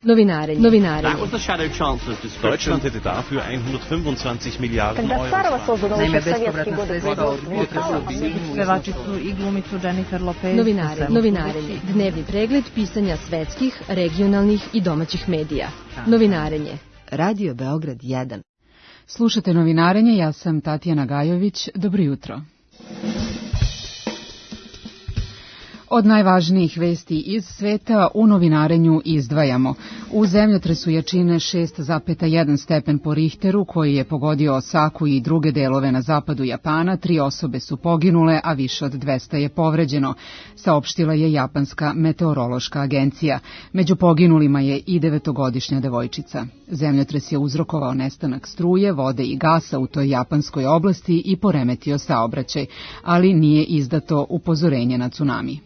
Novinarenje. Deutschland hätte dafür 125 Miliarden Euro. Naime, bespovratna sredstva pevačicu i glumicu Jennifer Lopez. Novinarenje. Dnevni pregled pisanja svetskih, regionalnih i domaćih medija. Novinarenje. Radio Beograd 1. Slušate Novinarenje, ja sam Tatjana Gajović. Dobro jutro. Od najvažnijih vesti iz sveta u novinarenju izdvajamo. U zemljotresu jačine 6,1 stepen po Richteru, koji je pogodio Osaku i druge delove na zapadu Japana, 3 osobe su poginule, a više od 200 je povređeno, saopštila je Japanska meteorološka agencija. Među poginulima je i 9-godišnja devojčica. Zemljotres je uzrokovao nestanak struje, vode i gasa u toj japanskoj oblasti i poremetio saobraćaj, ali nije izdato upozorenje na tsunami.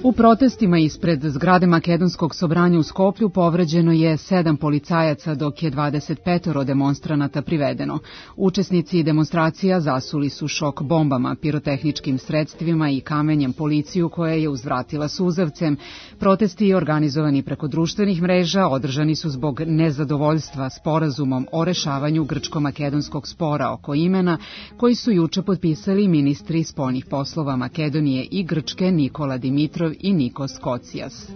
U protestima ispred zgrade Makedonskog sobranja u Skoplju povređeno je 7 policajaca, dok je 25 demonstranata privedeno. Učesnici demonstracija zasuli su šok bombama, pirotehničkim sredstvima i kamenjem policiju koja je uzvratila suzavcem. Protesti organizovani preko društvenih mreža održani su zbog nezadovoljstva sporazumom o rešavanju grčko-makedonskog spora oko imena, koji su juče potpisali ministri spoljnih poslova Makedonije i Grčke Nikola Dimitrov i Nikos Kocias.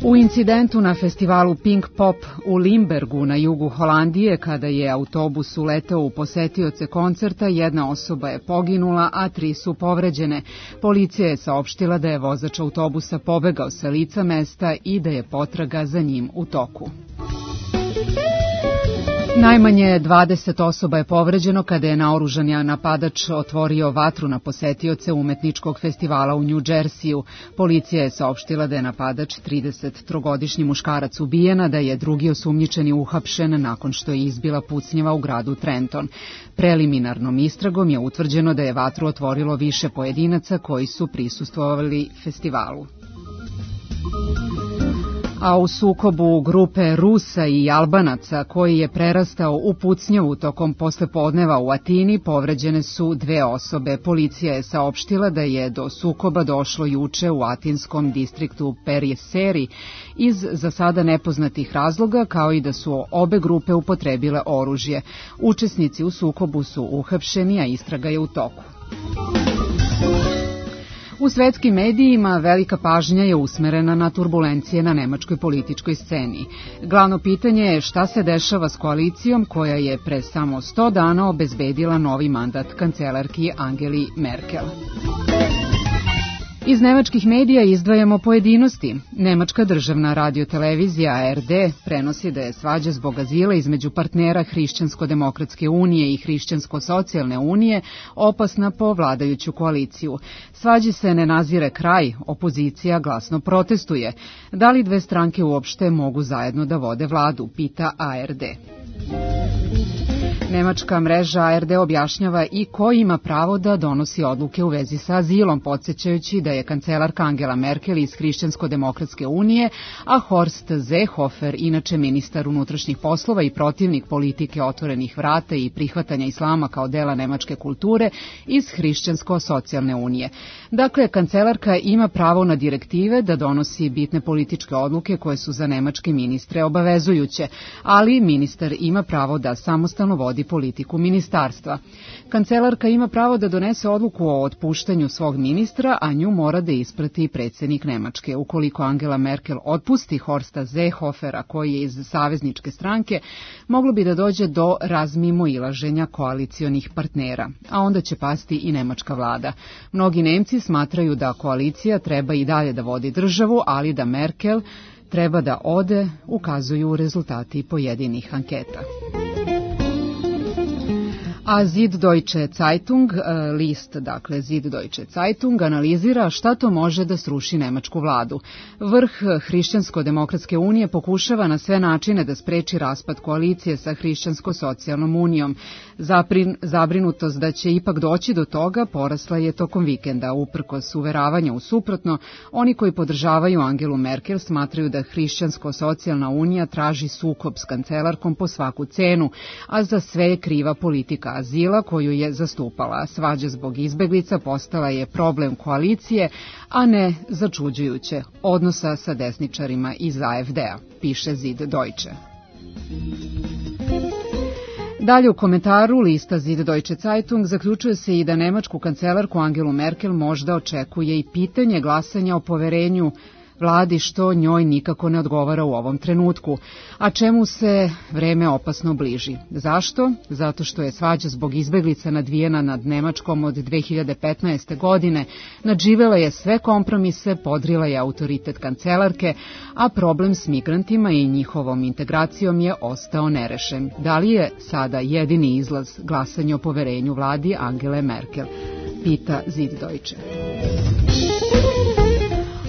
U incidentu na festivalu Pink Pop u Limbergu na jugu Holandije, kada je autobus uleteo u posetioce koncerta, 1 osoba je poginula, a 3 su povređene. Policija je saopštila da je vozač autobusa pobegao sa lica mesta i da je potraga za njim u toku. Najmanje 20 osoba je povređeno kada je naoružani napadač otvorio vatru na posetioce umetničkog festivala u New Jerseyju. Policija je saopštila da je napadač 33-godišnji muškarac ubijena, da je drugi osumnjičeni uhapšen nakon što je izbila pucnjava u gradu Trenton. Preliminarnom istragom je utvrđeno da je vatru otvorilo više pojedinaca koji su prisustvovali festivalu. A u sukobu grupe Rusa i Albanaca, koji je prerastao u pucnjavu tokom poslepodneva u Atini, povređene su 2 osobe. Policija je saopštila da je do sukoba došlo juče u atinskom distriktu Perieseri iz za sada nepoznatih razloga, kao i da su obe grupe upotrebile oružje. Učesnici u sukobu su uhapšeni, a istraga je u toku. U svetskim medijima velika pažnja je usmerena na turbulencije na nemačkoj političkoj sceni. Glavno pitanje je šta se dešava s koalicijom koja je pre samo 100 dana obezbedila novi mandat kancelarki Angeli Merkel. Iz nemačkih medija izdvajamo pojedinosti. Nemačka državna radiotelevizija ARD prenosi da je svađa zbog azila između partnera Hrišćansko-demokratske unije i Hrišćansko-socijalne unije opasna po vladajuću koaliciju. Svađi se ne nazire kraj, opozicija glasno protestuje. Da li 2 stranke uopšte mogu zajedno da vode vladu, pita ARD. Nemačka mreža ARD objašnjava i ko ima pravo da donosi odluke u vezi sa azilom, podsjećajući da je kancelarka Angela Merkel iz Hrišćansko-demokratske unije, a Horst Seehofer, inače ministar unutrašnjih poslova i protivnik politike otvorenih vrata i prihvatanja islama kao dela nemačke kulture, iz Hrišćansko-socijalne unije. Dakle, kancelarka ima pravo na direktive da donosi bitne političke odluke koje su za nemačke ministre obavezujuće, ali ministar ima pravo da samostalno vodi politiku ministarstva. Kancelarka ima pravo da donese odluku o otpuštanju svog ministra, a nju mora da isprati predsjednik Nemačke. Ukoliko Angela Merkel otpusti Horsta Seehofera, koji je iz savezničke stranke, moglo bi da dođe do razmimoilaženja koalicionih partnera, a onda će pasti i nemačka vlada. Mnogi Nemci smatraju da koalicija treba i dalje da vodi državu, ali da Merkel treba da ode, ukazuju rezultati pojedinih anketa. A Süddeutsche Zeitung, list, dakle Süddeutsche Zeitung, analizira šta to može da sruši nemačku vladu. Vrh Hrišćansko-demokratske unije pokušava na sve načine da spreči raspad koalicije sa Hrišćansko-socijalnom unijom. Zabrinutost da će ipak doći do toga porasla je tokom vikenda. Uprkos uveravanja u suprotno, oni koji podržavaju Angelu Merkel smatraju da Hrišćansko-socijalna unija traži sukob s kancelarkom po svaku cenu, a za sve je kriva politika azila koju je zastupala. Svađa zbog izbeglica postala je problem koalicije, a ne začuđujuće odnosa sa desničarima iz AfD-a, piše Zid Deutsche. Dalje u komentaru lista Zid Deutsche Zeitung zaključuje se i da nemačku kancelarku Angelu Merkel možda očekuje i pitanje glasanja o poverenju vladi, što njoj nikako ne odgovara u ovom trenutku, a čemu se vreme opasno bliži. Zašto? Zato što je svađa zbog izbeglica nadvijena nad Nemačkom od 2015. godine, nadživela je sve kompromise, podrila je autoritet kancelarke, a problem s migrantima i njihovom integracijom je ostao nerešen. Da li je sada jedini izlaz glasanje o poverenju vladi Angele Merkel? Pita Zid Deutsche.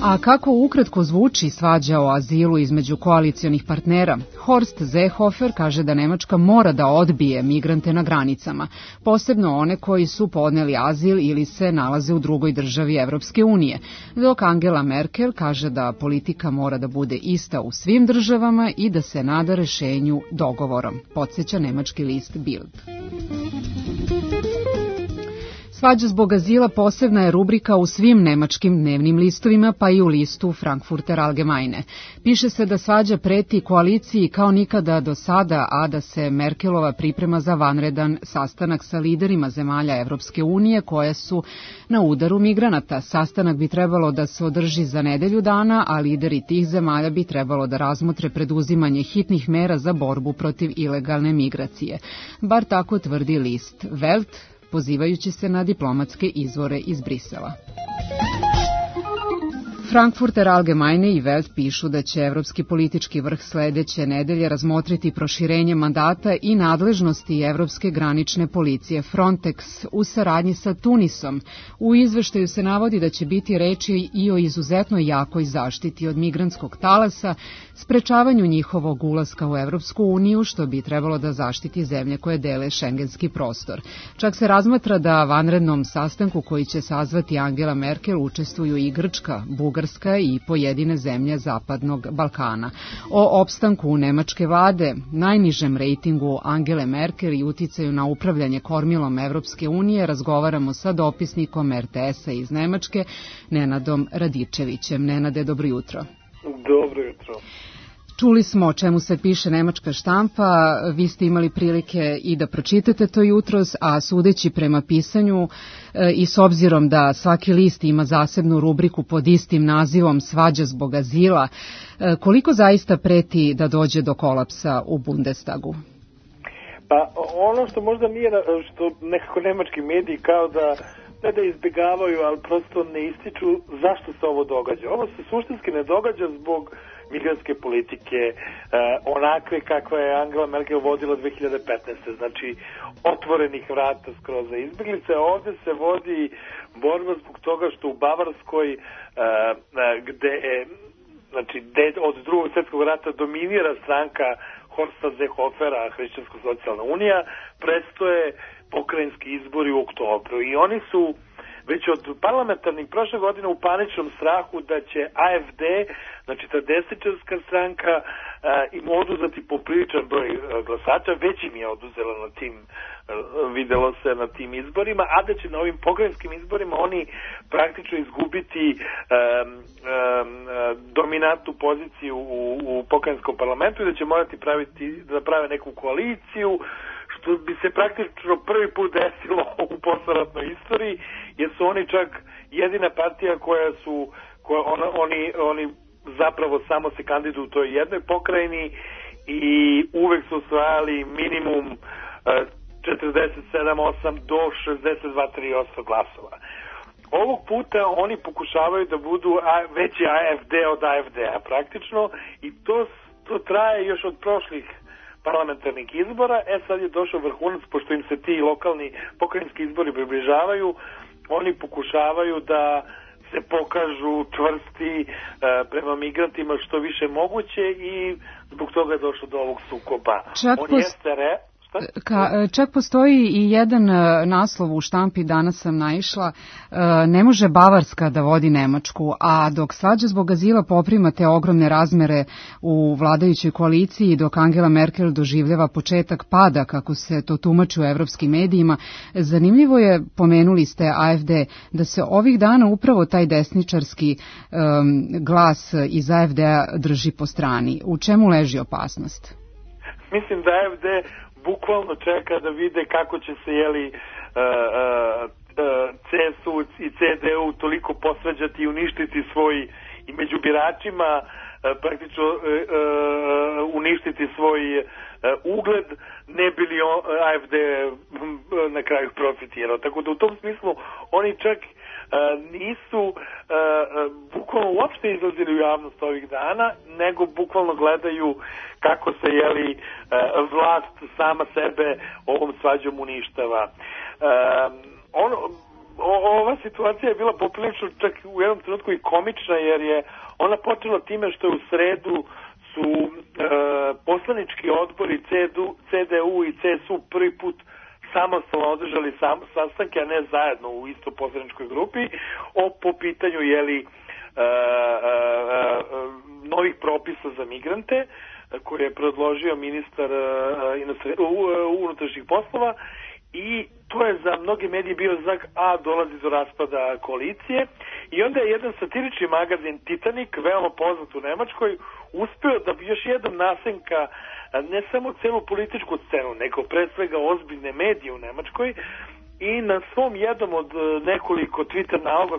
A kako ukratko zvuči svađa o azilu između koalicionih partnera? Horst Seehofer kaže da Nemačka mora da odbije migrante na granicama, posebno one koji su podneli azil ili se nalaze u drugoj državi Evropske unije, dok Angela Merkel kaže da politika mora da bude ista u svim državama i da se nada rešenju dogovorom, podsjeća nemački list Bild. Svađa zbog azila posebna je rubrika u svim nemačkim dnevnim listovima, pa i u listu Frankfurter Allgemeine. Piše se da svađa preti koaliciji kao nikada do sada, a da se Merkelova priprema za vanredan sastanak sa liderima zemalja Evropske unije koje su na udaru migranata. Sastanak bi trebalo da se održi za nedelju dana, a lideri tih zemalja bi trebalo da razmotre preduzimanje hitnih mera za borbu protiv ilegalne migracije. Bar tako tvrdi list Welt, pozivajući se na diplomatske izvore iz Brisela. Frankfurter Allgemeine i Welt pišu da će Evropski politički vrh sledeće nedelje razmotriti proširenje mandata i nadležnosti Evropske granične policije Frontex u saradnji sa Tunisom. U izveštaju se navodi da će biti reči i o izuzetno jakoj zaštiti od migrantskog talasa, sprečavanju njihovog ulaska u Evropsku uniju, što bi trebalo da zaštiti zemlje koje dele šengenski prostor. Čak se razmatra da vanrednom sastanku koji će sazvati Angela Merkel učestvuju i Grčka, Bugarska i pojedine zemlje Zapadnog Balkana. O opstanku nemačke vlade, najnižem rejtingu Angele Merkel i uticaju na upravljanje kormilom Evropske unije razgovaramo sa dopisnikom RTS-a iz Nemačke, Nenadom Radičevićem. Nenade, dobro jutro. Dobro jutro. Čuli smo o čemu se piše nemačka štampa, vi ste imali prilike i da pročitate to jutros, a sudeći prema pisanju i s obzirom da svaki list ima zasebnu rubriku pod istim nazivom Svađa zbog azila, koliko zaista preti da dođe do kolapsa u Bundestagu? Pa ono što možda nije, što nekako nemački mediji kao da ne da izbjegavaju, ali prosto ne ističu zašto se ovo događa. Ovo se suštinski ne događa zbog migrantske politike onakve kakva je Angela Merkel vodila 2015. Znači otvorenih vrata skroz za izbjeglice. Ovdje se vodi borba zbog toga što u Bavarskoj gde od drugog svjetskog rata dominira stranka Horsta Seehofera, Hrišćansko-socijalna unija, prestoje pokrajinski izbori u oktobru i oni su već od parlamentarnih prošle godine u paničnom strahu da će AfD, znači ta desničarska stranka, im oduzeti popriličan broj glasača, već im je oduzela na tim, videlo se na tim izborima, a da će na ovim pokrajinskim izborima oni praktično izgubiti dominantnu poziciju u pokrajinskom parlamentu i da će morati da prave neku koaliciju, što bi se praktično prvi put desilo u posleratnoj istoriji, jer su oni čak jedina partija oni zapravo samo se kandiduju u toj jednoj pokrajini i uvek su osvajali minimum 47-8 do 62-3% glasova. Ovog puta oni pokušavaju da budu veći AfD od AfD-a praktično i to traje još od prošlih parlamentarnih izbora. Sad je došao vrhunac, pošto im se ti lokalni pokrajinski izbori približavaju, oni pokušavaju da se pokažu čvrsti prema migrantima što više moguće i zbog toga je došlo do ovog sukoba. Čak postoji i jedan naslov u štampi, danas sam naišla, ne može Bavarska da vodi Nemačku, a dok svađa zbog azila poprima te ogromne razmere u vladajućoj koaliciji, dok Angela Merkel doživljava početak pada, kako se to tumači u evropskim medijima, zanimljivo je, pomenuli ste AfD, da se ovih dana upravo taj desničarski glas iz AfD-a drži po strani. U čemu leži opasnost? Mislim da AfD bukvalno čeka da vide kako će se CSU i CDU toliko posvađati i uništiti svoj, i među biračima praktično uništiti svoj ugled, ne bi li AfD na kraju profitirao. Tako da u tom smislu oni čak nisu bukvalno uopšte izlazili u javnost ovih dana, nego bukvalno gledaju kako se vlast sama sebe ovom svađom uništava. Ova situacija je bila poprilično čak u jednom trenutku i komična, jer je ona počela time što je u sredu su poslanički odbori CDU i CSU prvi put samostalno održali sastanke, a ne zajedno u isto poslaničkoj grupi, po pitanju novih propisa za migrante koje je predložio ministar unutrašnjih poslova, i to je za mnogi mediji bio znak, dolazi do raspada koalicije. I onda je jedan satirični magazin Titanic, veoma poznat u Nemačkoj, uspeo da bi još jednom nasenka ne samo celu političku scenu, nego pre svega ozbiljne medije u Nemačkoj, i na svom jednom od nekoliko Twitter naloga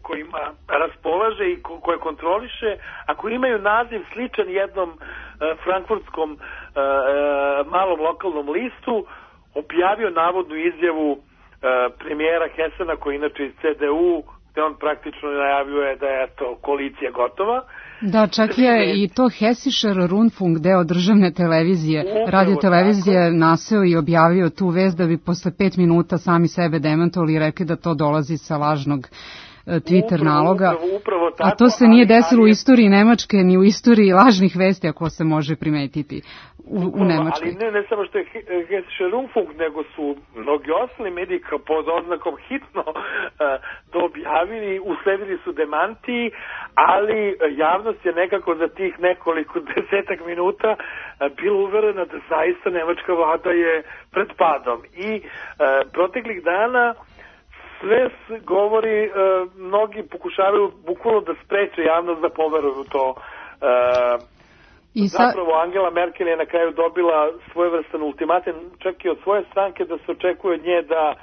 kojima raspolaže i koje kontroliše, a koji imaju naziv sličan jednom frankfurtskom malom lokalnom listu, objavio navodnu izjavu premijera Hessena, koji inače iz CDU, gde on praktično najavljuje da je koalicija gotova. Da, čak je i to Hessischer Rundfunk, deo državne televizije, radiotelevizije, naseo i objavio tu vest da bi posle 5 minuta sami sebe demantovali i rekli da to dolazi sa lažnog Twitter naloga. Upravo tako, a to se nije desilo u istoriji Nemačke, ni u istoriji lažnih vesti, ako se može primetiti u Nemačkoj. Ali ne samo što je Hessischer Rundfunk, nego su mnogi ostali mediji pod oznakom hitno objavili, usledili su demanti, ali javnost je nekako za tih nekoliko desetak minuta bila uverena da zaista nemačka vlada je pred padom. I proteklih dana sve govori, mnogi pokušavaju bukvalno da spreče javnost da poveruju to. Zapravo Angela Merkel je na kraju dobila svojevrstan ultimatum, čak i od svoje stranke, da se očekuje od nje da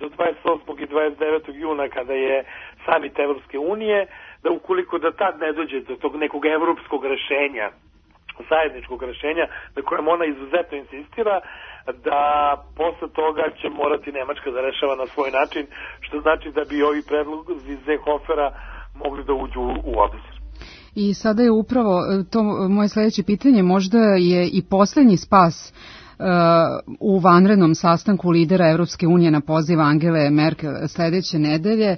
do 28. i 29. juna, kada je samit Evropske unije, da ukoliko da tad ne dođe do tog nekog evropskog rešenja, zajedničkog rešenja, na kojem ona izuzetno insistira, da posle toga će morati Nemačka da rešava na svoj način, što znači da bi ovi predlozi Seehofera mogli da uđu u obzir. I sada je upravo to moje sledeće pitanje, možda je i poslednji spas u vanrednom sastanku lidera Evropske unije na poziv Angele Merkel sledeće nedelje.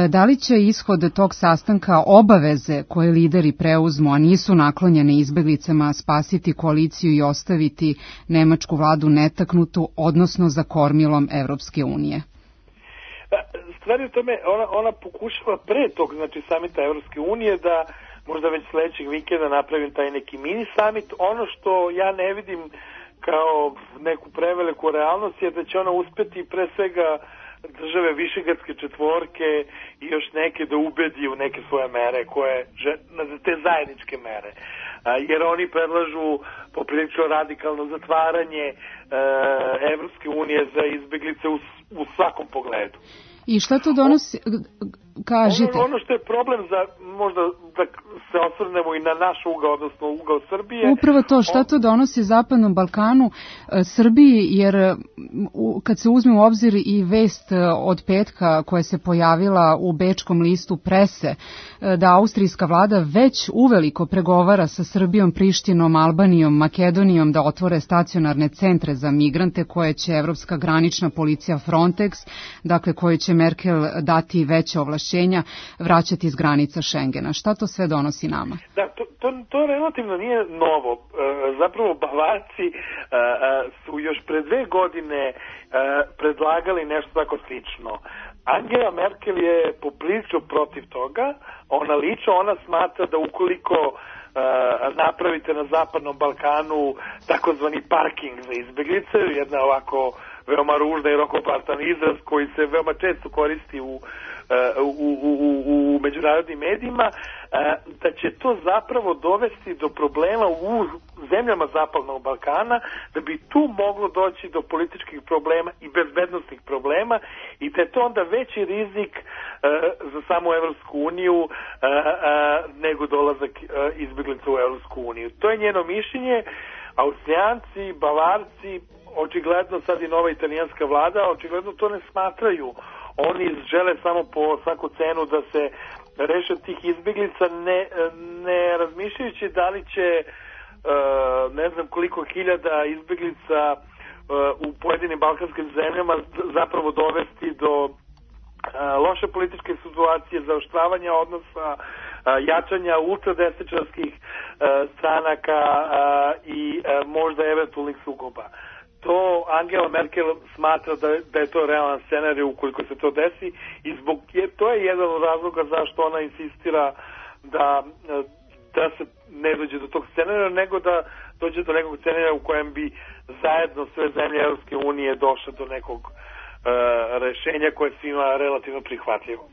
Da li će ishod tog sastanka obaveze koje lideri preuzmu, a nisu naklonjene izbeglicama, spasiti koaliciju i ostaviti nemačku vladu netaknutu, odnosno za kormilom Evropske unije? Stvar je u tome, ona pokušava pre tog, znači samita Evropske unije, da možda već sledećeg vikenda napravim taj neki mini summit. Ono što ja ne vidim kao neku preveliku realnost je da će ona uspeti pre svega države Višegradske četvorke i još neke da ubedi u neke svoje mere, te zajedničke mere. Jer oni predlažu poprilično radikalno zatvaranje Evropske unije za izbeglice u svakom pogledu. I šta to donosi? Kažite. Ono što je problem za, možda da se osvrnemo i na naš ugao, odnosno ugao Srbije. Upravo to, šta to donosi Zapadnom Balkanu, Srbiji, jer kad se uzme u obzir i vest od petka koja se pojavila u bečkom listu Prese, da austrijska vlada već uveliko pregovara sa Srbijom, Prištinom, Albanijom, Makedonijom da otvore stacionarne centre za migrante koje će Evropska granična policija Frontex, dakle koje će Merkel dati veće ovlašćenje ovlašćenja vraćati iz granica Šengena. Šta to sve donosi nama? Da, to relativno nije novo. Zapravo Bavarci su još pre 2 godine predlagali nešto tako slično. Angela Merkel je poprilično protiv toga. Ona smatra da ukoliko napravite na Zapadnom Balkanu takozvani parking za izbeglice, jedna ovako veoma ružna i rokoplastan izraz koji se veoma često koristi u međunarodnim medijima, da će to zapravo dovesti do problema u zemljama Zapadnog Balkana, da bi tu moglo doći do političkih problema i bezbednostnih problema i da je to onda veći rizik za samu Evropsku uniju nego dolazak izbeglica u Evropsku uniju. To je njeno mišljenje. Austrijanci, Bavarci, očigledno sad i nova italijanska vlada, očigledno to ne smatraju. Oni žele samo po svaku cenu da se reše tih izbeglica, ne razmišljajući da li će ne znam koliko hiljada izbeglica u pojedinim balkanskim zemljama zapravo dovesti do loše političke situacije, zaoštravanja odnosa, jačanja ultradesničarskih stranaka i možda eventualnih sukoba. To Angela Merkel smatra da je to realan scenarij ukoliko se to desi i to je jedan od razloga zašto ona insistira da se ne dođe do tog scenarija, nego da dođe do nekog scenarija u kojem bi zajedno sve zemlje Evropske unije došle do nekog rešenja koje je svima relativno prihvatljivo.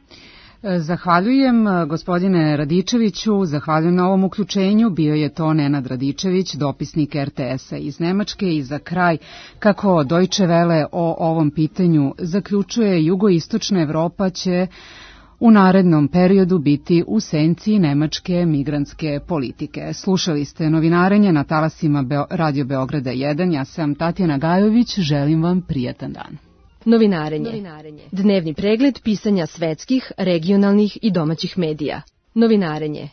Zahvaljujem gospodine Radičeviću, zahvaljujem na ovom uključenju. Bio je to Nenad Radičević, dopisnik RTS-a iz Nemačke i za kraj, kako Deutsche Welle o ovom pitanju zaključuje, jugoistočna Evropa će u narednom periodu biti u senci nemačke migrantske politike. Slušali ste novinarenje na talasima Radio Beograda 1. Ja sam Tatjana Gajović, želim vam prijatan dan. Novinarenje. Dnevni pregled pisanja svetskih, regionalnih i domaćih medija. Novinarenje.